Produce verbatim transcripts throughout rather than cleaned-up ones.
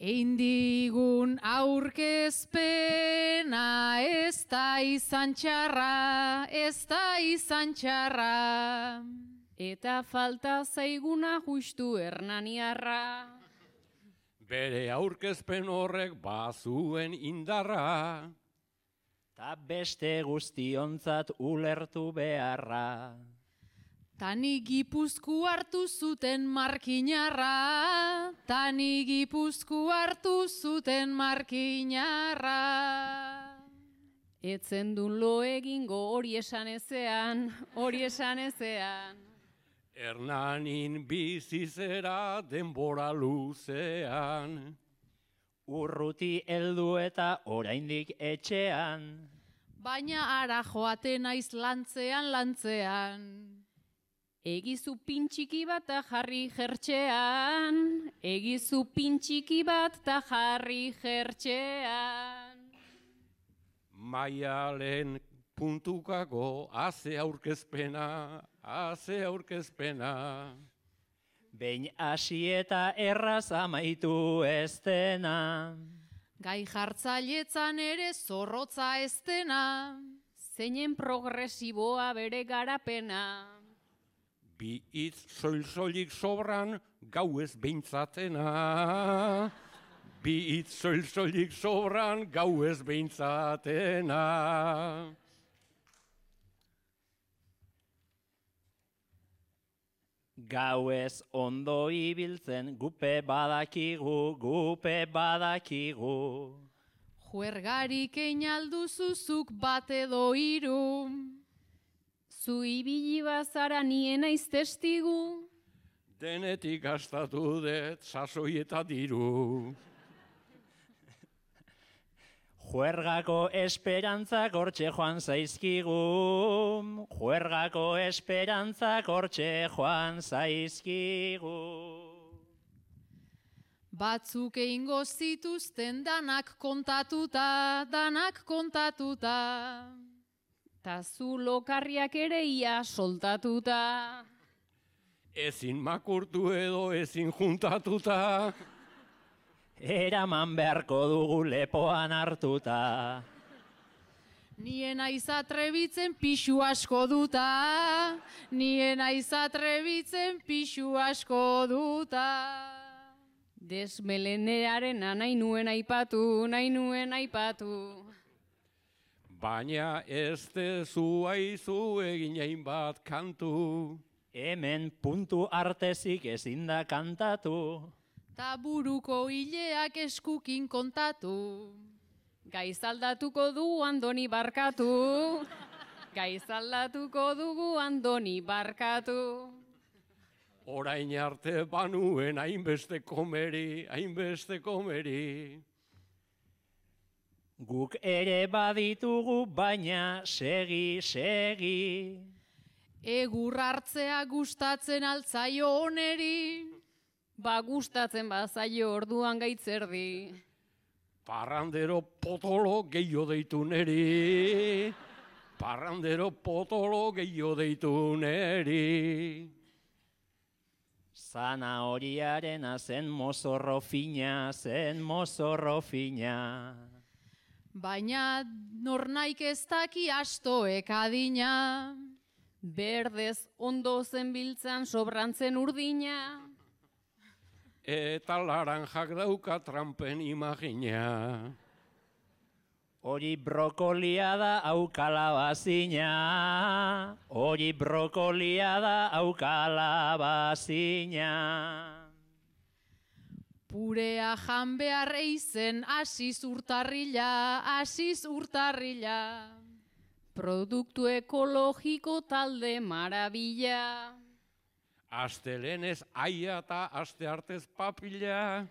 Eindigun aurkezpena ez da izan txarra, ez da izan txarra. Eta falta zaiguna justu Hernaniarra. Bere aurkezpen horrek bazuen indarra. Ta beste guztiontzat ulertu beharra. Tani Gipuzku hartu zuten markinarra, tani Gipuzku hartu zuten markinarra. Etzen dun lo egingo hori esan ezean, hori esan ezean. Hernanin bizizera denbora luzean. Urruti heldu eta oraindik etxean. Baina ara joaten naiz lantzean, lantzean. Egizu pintxiki bat ta jarri jertxean, egizu pintxiki bat ta jarri jertxean. Maialen puntukako haze aurkezpena, haze aurkezpena. Behin hasi eta erraz amaitu ez dena. Gai jartzailetzan ere zorrotza ez dena, zeinen progresiboa bere garapena. Bi hitz soil-soilik sobran gau ez behintzatena. Bi hitz soil-soilik sobran gau ez behintzatena. Gau ez ondo ibiltzen gupe badakigu, gupe badakigu. Juergarik einalduzuzuk bat edo hiru. Zu ibili bazara nien naiz testigu. Denetik gastatu dut sasoi eta diru. Juergako esperantzak hortxe joan zaizkigu. Juergako esperantzak hortxe joan zaizkigu. Batzuk egingo zituzten danak kontatuta, danak kontatuta. Ta zu lokarriak ere ia soltatuta. Ezin makurtu edo ezin juntatuta. Eraman beharko dugu lepoan hartuta. Nien aiz atrebitzen pixu asko duta, nien aiz atrebitzen pixu asko duta. Desmelenearena nahi nuen aipatu, nahi nuen aipatu. Baina ez dezu aizu egin hainbat kantu. Hemen puntu artezik ezin da kantatu. Ta buruko hileak eskukin kontatu. Gaiz aldatuko du Andoni barkatu. Gaiz aldatuko dugu Andoni barkatu. Orain arte banuen hainbeste komeri, hainbeste komeri. Guk ere baditugu baina segi, segi. Egur hartzea gustatzen altzaio oneri. Ba gustatzen bazaio orduan gaitzerdi. Parrandero potolo gehiago deitu neri. Parrandero potolo gehiago deitu neri. Zanahoriarena zen mozorro fina, zen mozorro fina. Baina nornaik ez daki astoek adina. Berdez ondo zen biltzan sobrantzen urdina. Eta laranjak dauka trampen imagina. Hori brokolia da hau kalabazina. Hori brokolia da hau kalabazina. Purea jan behar eizen asiz urtarrila, asiz urtarrila. Produktu ekologiko talde marabila. Astelenez aia eta aste artez papila.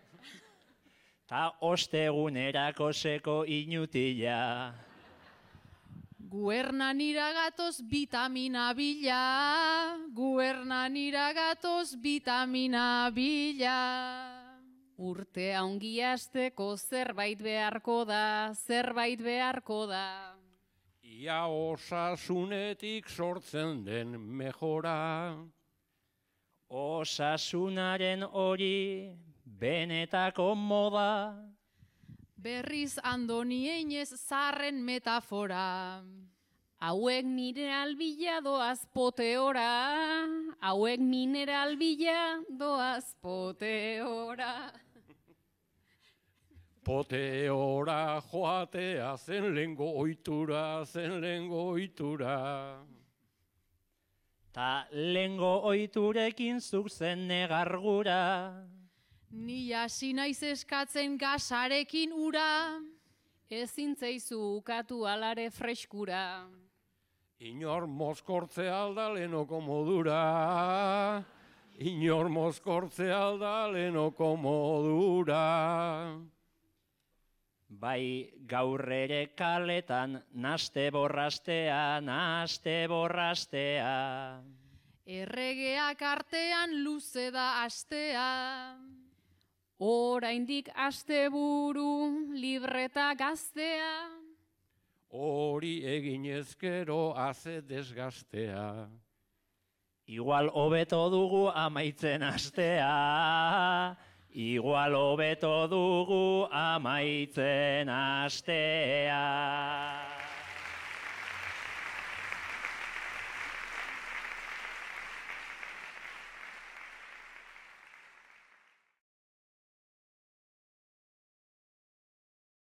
Ta ostegunerako seko inutila. Guernan iragatoz vitamina bila, guernan iragatoz vitamina bila. Urtea ongi hasteko zerbait beharko da, zerbait beharko da. Ia osasunetik sortzen den mejora. Osasunaren hori benetako moda. Berriz Andoni einez zarren metafora. Hauek mineral bila doaz poteora, hauek mineral bila doaz poteora. Poteora joatea zen lehengo ohitura, zen lehengo ohitura. Ta lehengo ohiturekin zuk zen negargura. Ni hasi naiz eskatzen gasarekin ura. Ezin zaizu ukatu alare freskura. Inor mozkortze alda lehenoko modura. Inor mozkortze alda lehenoko modura. Bai gaur ere kaletan naste borrastea, naste borrastea. Erregeak artean luze da astea. Oraindik asteburu libreta gaztea. Hori egin ezkero haze desgaztea. Igual hobeto dugu amaitzen astea. Igual hobeto dugu amaitzen astea.